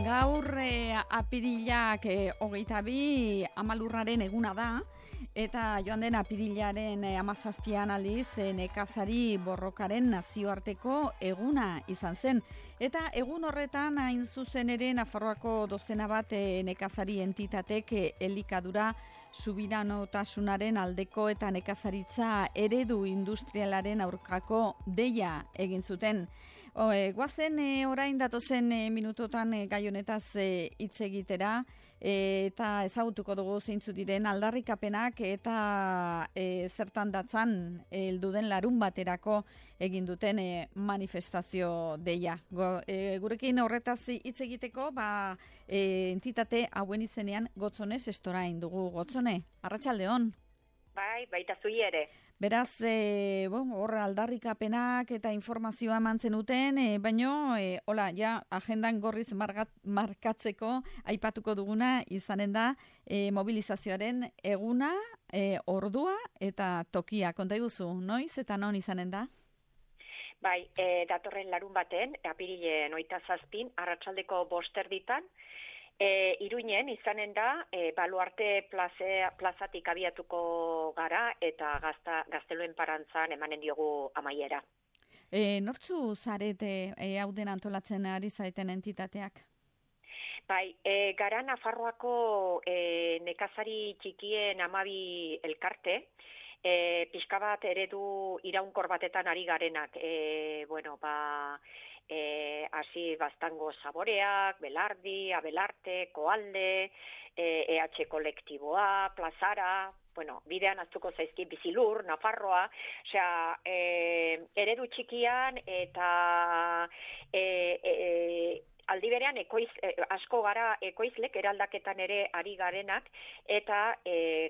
Gaur apirilak 22 amalurraren eguna da, eta joan den apirilaren 17an aldiz nekazari borrokaren nazioarteko eguna izan zen. Eta egun horretan hain zuzen ere Nafarroako dozena bat nekazari entitatek elikadura subiranotasunaren aldeko eta nekazaritza eredu industrialaren aurkako deia egin zuten. Goazen orain datozen minutotan gai honetaz hitz egitera eta ezagutuko dugu zeintzu diren aldarrikapenak eta zertan datzan helduden larun baterako egin duten manifestazio deia. Gurekin horretaz hitz egiteko entitate hauen izenean Gotzones Estorain dugu. Gotzone, arratsaldeon. Bai, baita zui ere. Beraz, hor aldarrikapenak eta informazioa eman zenuten, baino, agendan gorriz markatzeko aipatuko duguna izanen da mobilizazioaren eguna, ordua eta tokia. Konta iguzu, noiz eta non izanen da? Bai, datorren larun baten, apirilen 27, arratsaldeko 5:00 Iruinen izanen da, Baluarte plazatik abiatuko gara eta Gazteluen Parantzan emanen diogu amaiera. Nortzu zarete hauden antolatzen ari zaeten entitateak? Bai, gara Nafarroako nekazari txikien 12 elkarte, pixka bat eredu iraunkor batetan ari garenak, hasi Baztango Saboreak, Belardi, Abelarte, Koalde, EH kolektiboa, Plazara, bidean aztuko zaizki Bizilur, Nafarroa, eredu txikian eta aldi berean asko gara ekoizlek eraldaketan ere ari garenak eta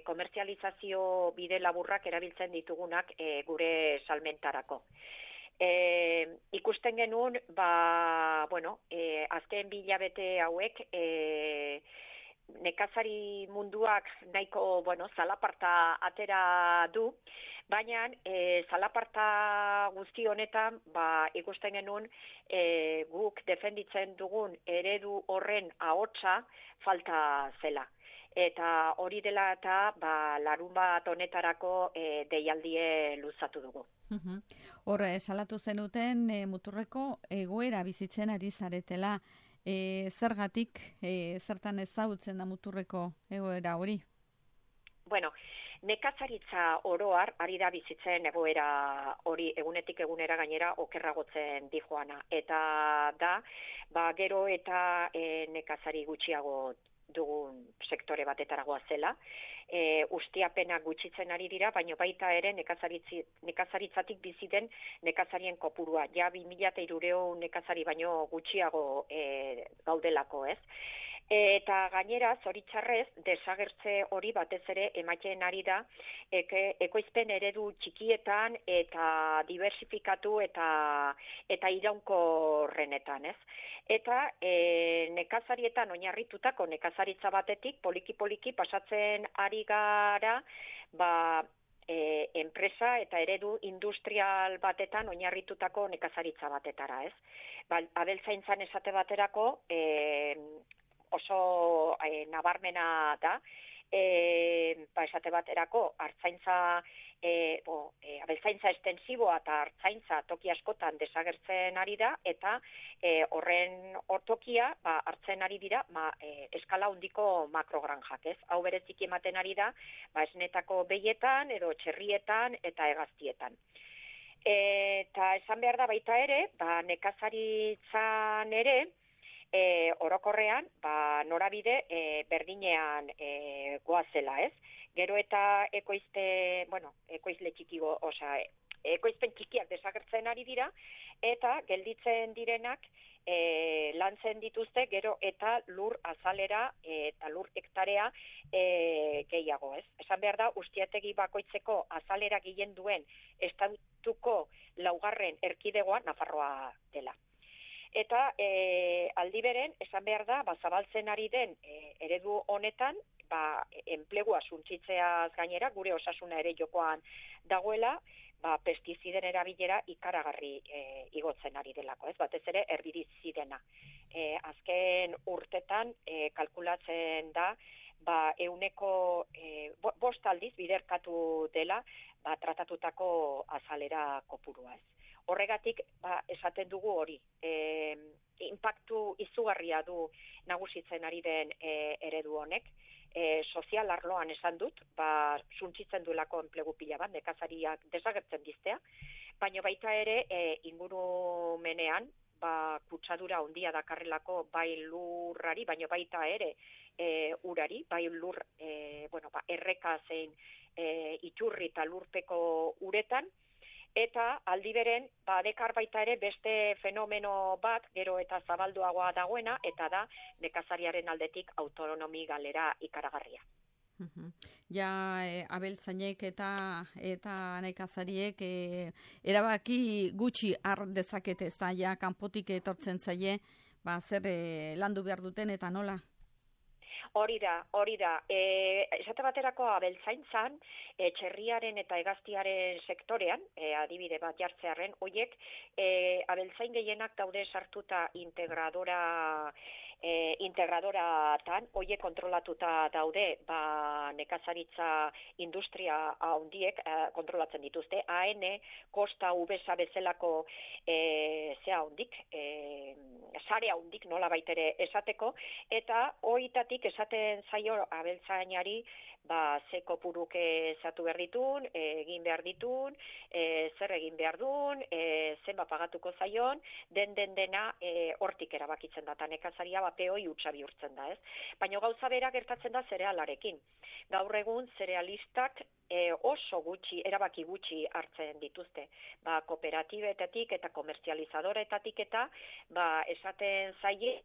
komertzializazio bide laburrak erabiltzen ditugunak gure salmentarako. Ikusten genuen, azken 2 hilabete hauek nekazari munduak nahiko, zalaparta atera du, baina zalaparta guzti honetan, ikusten genuen guk defenditzen dugun eredu horren ahotsa falta zela. Eta hori dela eta larun bat honetarako deialdie luzatu dugu. Hor, salatu zenuten muturreko egoera bizitzen ari zaretela. Zergatik, zertan ezagutzen da muturreko egoera hori? Nekazaritza oroar ari da bizitzen egoera hori egunetik egunera gainera okerragotzen dijoana. Eta da, gero eta nekazari gutxiago dugun sektore batetaragoa zela. Ustiapenak gutxitzen ari dira, baina baita ere nekazaritzatik bizi den nekazarien kopurua. Ja 2300 nekazari baino gutxiago gaudelako, ez? Eta gainera, zoritxarrez, desagertze hori batez ere ematen ari da ekoizpen eredu txikietan eta diversifikatu eta iraunkorrenetan, ez? Eta nekazarietan oinarritutako nekazaritza batetik poliki-poliki pasatzen ari gara enpresa eta eredu industrial batetan oinarritutako nekazaritza batetara, ez? Abeltzaintzan esate baterako oso nabarmena da, esate baterako artzaintza, abeltzaintza estensiboa eta artzaintza toki askotan desagertzen ari da, eta horren tokia hartzen ari dira eskala handiko makrogranjak, ez? Hau bereziki ematen ari da, esnetako behietan, edo txerrietan eta hegaztietan. Eta esan behar da baita ere, nekazaritzan ere, orokorrean, norabide berdinean goazela, ez? Gero eta ekoizle txikigo, ekoizpen txikiak desagertzen ari dira, eta gelditzen direnak lantzen dituzte gero eta lur azalera eta lur hektarea gehiago, ez? Esan behar da, ustiategi bakoitzeko azalera gehien duen estatuko 4. erkidegoa Nafarroa dela. Eta aldi beren, esan behar da, zabaltzen ari den eredu honetan, enplegua suntsitzeaz gainera, gure osasuna ere jokoan dagoela, pestiziden erabilera ikaragarri igotzen ari delako, ez? Batez ere herbizidena. azken urtetan kalkulatzen da, euneko 5 aldiz biderkatu dela, tratatutako azalera kopurua ez. Horregatik, esaten dugu hori, inpaktu izugarria du nagusitzen ari den eredu honek, sozial arloan esan dut, suntsitzen duelako enplegu pila bat, nekazariak desagertzen diztea, baina baita ere ingurumenean, kutsadura handia dakarrelako bai lurrari, baina baita ere urari, bai lur erreka zein iturri eta lurpeko uretan, eta aldi beren, dekar baita ere beste fenomeno bat, gero eta zabalduagoa dagoena, eta da nekazariaren aldetik autonomi galera ikaragarria. Ja, abeltzainek eta nekazariek erabaki gutxi har dezakete, ez da, ja, kanpotik etortzen zaie, zer landu behar duten eta nola? Hori da. Esate baterako abeltzaintzan, txerriaren eta hegaztiaren sektorean, adibide bat jartzearren, hoiek abeltzain gehienak daude sartuta integradoratan, hoiek kontrolatuta daude, nekazaritza industria handiek kontrolatzen dituzte, AN, Kosta, Ubesa bezalako sare handik nola baitere esateko, eta hoitatik esaten zaio abeltzainari, ze kopuruk ezatu behar ditun, egin behar ditun, zer egin behar dun, zenba pagatuko zaion, dena hortik erabakitzen da, eta nekazaria peoi utxa bihurtzen da, ez? Baina gauza bera gertatzen da zerealarekin. Gaur egun zerealistak oso gutxi, erabaki gutxi hartzen dituzte. Kooperatibetatik eta komertzializadoretatik eta esaten zaie,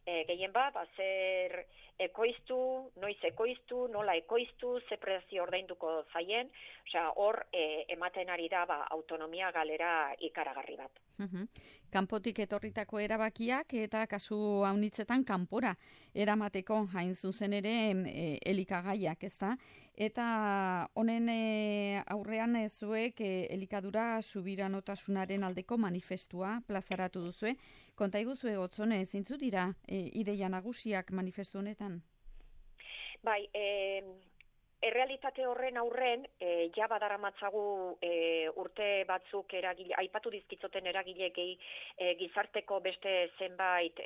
gehien zer ekoiztu, noiz ekoiztu, nola ekoiztu, ze prezio ordainduko zaien, hor ematen ari da autonomia galera ikaragarri bat. Kanpotik etorritako erabakiak eta kasu haunitzetan kanpora eramateko hain zuzen ere elikagaiak, ezta? Eta honen aurrean zuek elikadura subiranotasunaren aldeko manifestua plazaratu duzue. Konta iguzue Gotzone, zeintzu dira ideia nagusiak manifestu honetan? Bai, errealitate horren aurren, ja badaramatzagu urte batzuk aipatu dizkitzoten eragileekei gizarteko beste zenbait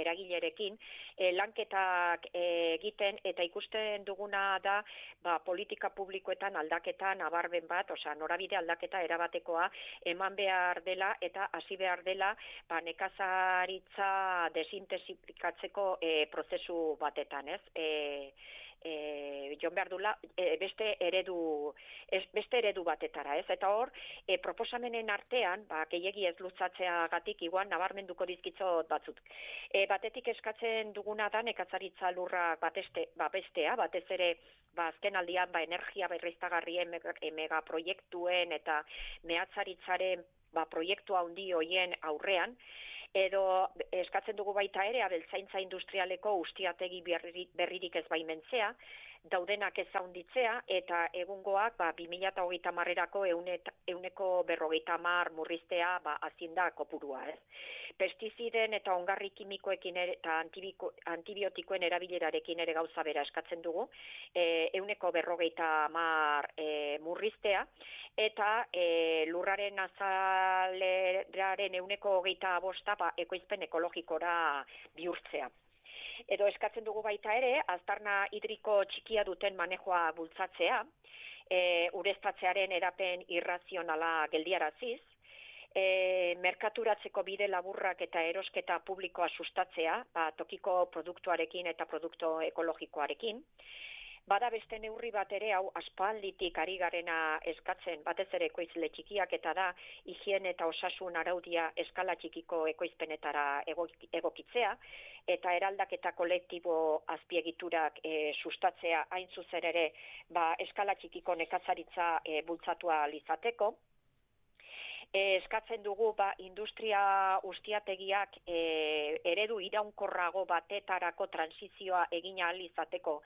eragilerekin, lanketak egiten, eta ikusten duguna da politika publikoetan aldaketan abarben bat, norabide aldaketa erabatekoa eman behar dela eta hasi behar dela nekazaritza desintensifikatzeko prozesu batetan, ez? Jon behar dula beste eredu batetara, ez? Eta hor, proposamenen artean, gehiegi ez lutzatzeagatik igual nabarmenduko dizkitzot batzut. Batetik eskatzen duguna da nekazaritza lurra babestea, batez ere azken aldian energia berriztagarrien megaproiektuen eta mehatzaritzaren proiektu handi hoien aurrean, edo eskatzen dugu baita ere abeltzaintza industrialeko ustiategi berririk ez baimentzea, daudenak ez haunditzea, eta egungoak 2030erako 150 murriztea azinda kopurua, ez? Pestiziden eta ongarri kimikoekin eta antibiotikoen erabilerarekin ere gauza bera eskatzen dugu, 150 murriztea, eta lurraren azaleraren 125 ekoizpen ekologikora bihurtzea. Edo eskatzen dugu baita ere, aztarna hidriko txikia duten manejoa bultzatzea, ureztatzearen erapen irrazionala geldiaraziz, merkaturatzeko bide laburrak eta erosketa publikoa sustatzea, tokiko produktuarekin eta produktu ekologikoarekin. Bada beste neurri bat ere, hau aspalditik ari garena eskatzen, batez ere ekoizle txikiak, eta da higiene eta osasun araudia eskala txikiko ekoizpenetara egokitzea, eta eraldaketa kolektibo azpiegiturak sustatzea hain zuzen ere eskala txikiko nekazaritza bultzatua izateko. Eskatzen dugu industria ustiategiak eredu iraunkorrago batetarako transizioa egin ahal izateko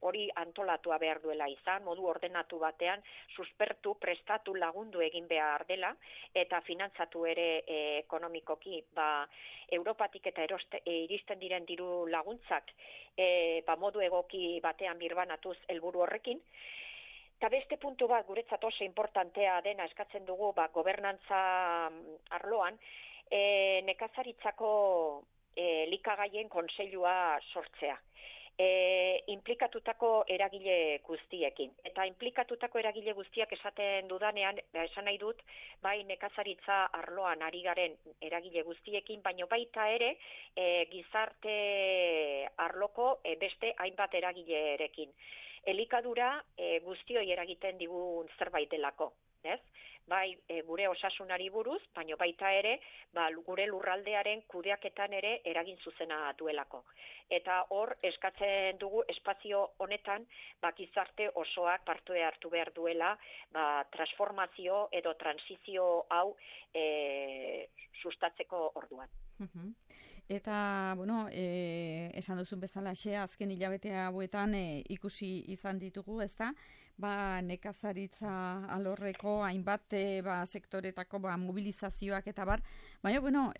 hori antolatua behar duela izan, modu ordenatu batean, suspertu, prestatu, lagundu egin behar dela, eta finantzatu ere ekonomikoki, Europatik eta iristen diren diru laguntzak modu egoki batean birbanatuz helburu horrekin. Eta beste puntu bat guretzat oso importantea dena eskatzen dugu gobernantza arloan, nekazaritzako likagaien kontseilua sortzea. Inplikatutako eragile guztiekin. Eta inplikatutako eragile guztiak esaten dudanean, esan nahi dut, bai nekazaritza arloan ari garen eragile guztiekin, baino baita ere gizarte arloko beste hainbat eragilerekin. Elikadura guztioi eragiten digun zerbait delako. Ez? Bai gure osasunari buruz, baino baita ere gure lurraldearen kudeaketan ere eragin zuzena duelako. Eta hor eskatzen dugu espazio honetan gizarte osoak parte hartu behar duela transformazio edo transizio hau sustatzeko orduan. Eta, esan duzun bezala azken hilabete hauetan ikusi izan ditugu, ezta? Nekazaritza alorreko hainbat sektoretako mobilizazioak eta bar, baina,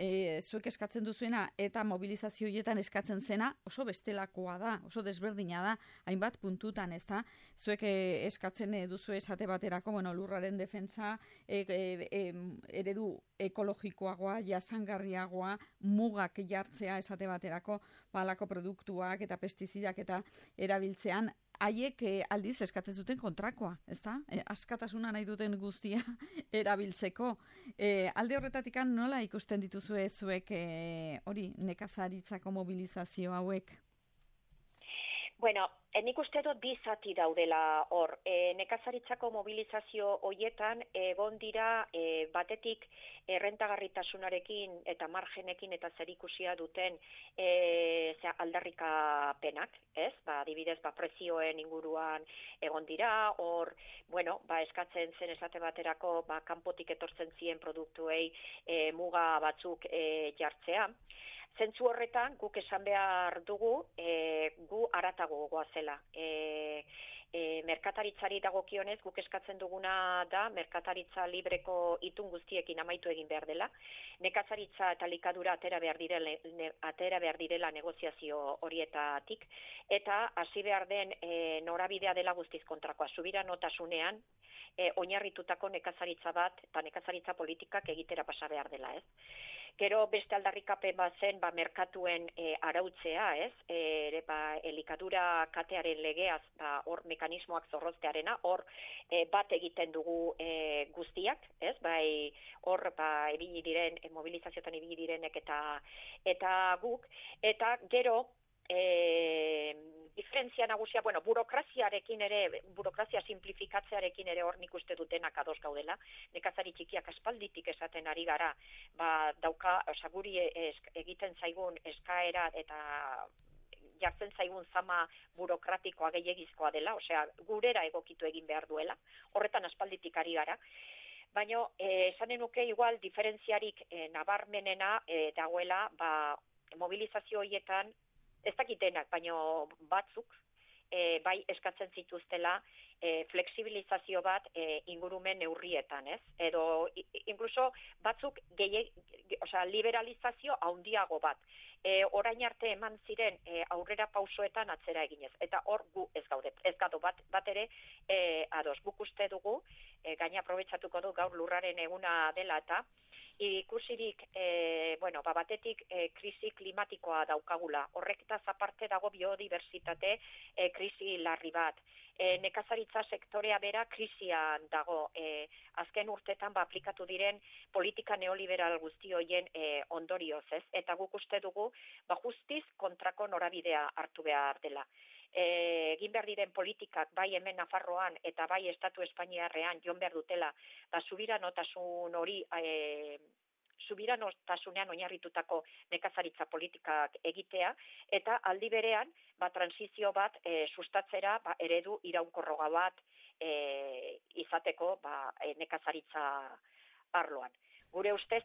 zuek eskatzen duzuena eta mobilizazio horietan eskatzen zena oso bestelakoa da, oso desberdina da, hainbat puntutan, ezta? Zuek eskatzen duzu esate baterako, lurraren defentsa, eredu ekologikoagoa, jasangarriagoa, mugak jartzea esate baterako, halako produktuak eta pestizidak eta erabiltzean, haiek aldiz eskatzen zuten kontrakoa, ezta? Askatasuna nahi duten guztia erabiltzeko. Alde horretatik nola ikusten dituzue zuek hori nekazaritzako mobilizazio hauek? Bueno, nik uste dut bi zati daudela hor. Nekazaritzako mobilizazio hoietan egon dira batetik errentagarritasunarekin eta margenekin eta zerikusia duten aldarrikapenak, ez? Adibidez, prezioen inguruan egon dira, hor, eskatzen zen esate baterako kanpotik etortzen ziren produktuei muga batzuk jartzea. Zentzu horretan, guk esan behar dugu, gu haratago goazela. Merkataritzari dagokionez, guk eskatzen duguna da, merkataritza libreko itun guztiekin amaitu egin behar dela. Nekazaritza eta likadura atera behar direla negoziazio horietatik, eta hasi behar den norabidea dela guztiz kontrakoa. Subiranotasunean, oinarritutako nekazaritza bat eta nekazaritza politikak egitera pasa behar dela, ez? Gero beste aldarrikapen bat zen merkatuen arautzea, ez? Elikadura katearen legeaz hor mekanismoak zorroztearena, hor bat egiten dugu guztiak, ez? Bai hor ibili diren mobilizazioetan ibili direnek eta guk, eta gero diferentzia nagusia, burokraziarekin ere, burokrazia simplifikatzearekin ere hor nik uste dutenak ados gaudela. Nekazari txikiak aspalditik esaten ari gara, guri egiten zaigun eskaera eta jartzen zaigun zama burokratikoa gehiagizkoa dela, gurera egokitu egin behar duela, horretan aspalditik ari gara. Baina, esanen nuke igual diferentziarik nabarmenena dagoela, mobilizazio horietan, ez dakitenak, baina batzuk bai eskatzen zituztela fleksibilizazio bat ingurumen neurrietan, ez? Edo incluso batzuk liberalizazio handiago bat. Orain arte eman ziren aurrera pausoetan atzera eginez. Eta hor gu ez gaude bat ere ados. Guk uste dugu, gaina aprobetxatuko du gaur lurraren eguna dela eta ikusirik, batetik krisi klimatikoa daukagula. Horreketaz aparte dago biodibertsitate krisi larri bat. Nekazaritza sektorea bera krisian dago. Azken urtetan aplikatu diren politika neoliberal guzti horien ondorioz, ez? Eta guk uste dugu justiz kontrako norabidea hartu behar dela. Egin behar diren politikak bai hemen Nafarroan eta bai Estatu Espainiarrean jon behar dutela, subiranotasun hori subiranotasunean oinarritutako nekazaritza politikak egitea, eta aldi berean transizio bat sustatzera eredu iraunkorroga bat izateko nekazaritza arloan. Gure ustez,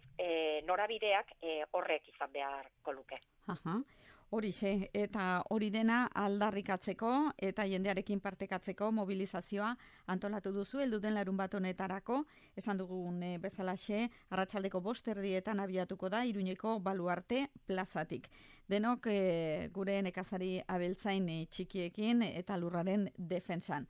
norabideak horrek izan beharko luke. Horixe, eta hori dena aldarrikatzeko eta jendearekin partekatzeko mobilizazioa antolatu duzu helduten larun bat honetarako, esan dugun bezalaxe, arratsaldeko 5:00 abiatuko da Iruñeko Baluarte plazatik. Denok gure nekazari abeltzain txikiekin eta lurraren defentsan.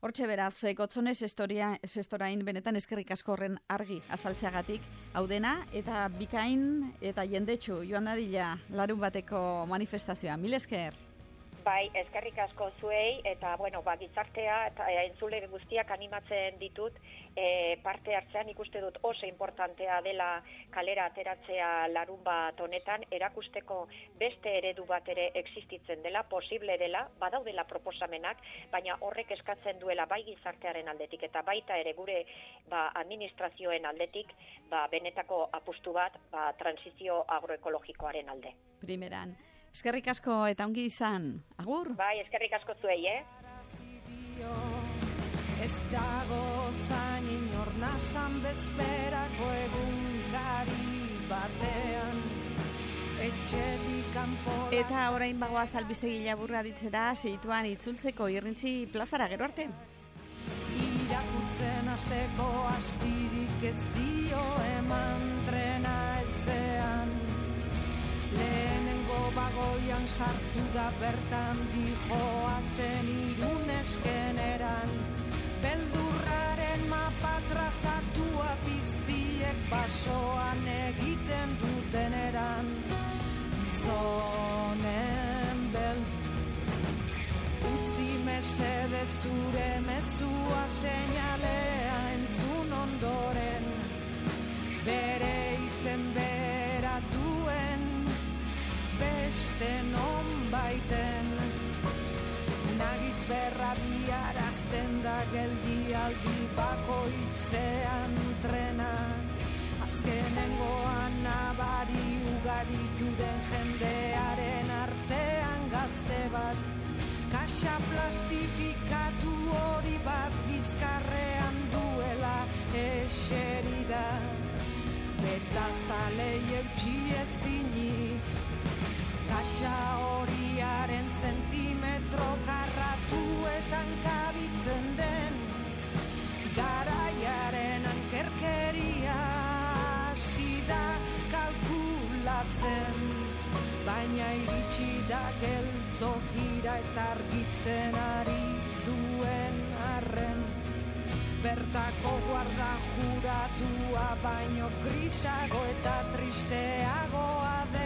Hortxe beraz, Gotzone sestorain benetan eskerrik asko horren argi azaltzeagatik, hau dena eta bikain eta jendetsu joan dadila larun bateko manifestazioa. Mil esker. Bai, eskerrik asko zuei, eta gizartea eta entzule guztiak animatzen ditut, parte hartzean ikuste dut oso importantea dela kalera ateratzea larun bat honetan, erakusteko beste eredu bat ere existitzen dela, posible dela, badaudela proposamenak, baina horrek eskatzen duela bai gizartearen aldetik eta baita ere gure administrazioen aldetik, benetako apustu bat, transizio agroekologikoaren alde. Primeran. Eskerrik asko eta ongi izan. Agur? Bai, eskerrik asko zuei, Ez dago zain inor nasan bezperako egunkari batean etxetik kanpo. Eta orain bagoaz albistegi laburra ditzera segituan itzultzeko Irrintzi plazara, gero arte. Irakurtzen hasteko astirik ez dio eman trena heltzean. Lehenengo bagoian sartu da bertan dijoa zen Iruneskeneran. Beldurraren mapa trazatua piztiek basoan egiten duteneran. Gizonen beldur, utzi mesede zure mezua seinalea entzun ondoren. Bere izen bera duen beste non baiten. Nagiz berra biarazten da geldialdi bakoitzean trena. Azkenengoan nabari ugaritu den jendearen artean gazte bat. Kaxa plastifikatu hori bat bizkarrean duela eserida. Betazalei eutxi ezinik. Kaxa horiaren zentimetro karratuetan kabitzen den. Garaiaren ankerkeria hasi da kalkulatzen. Baina iritsi da geltokira eta argitzen ari duen arren. Bertako guarda juratua baino grisago eta tristeagoa den.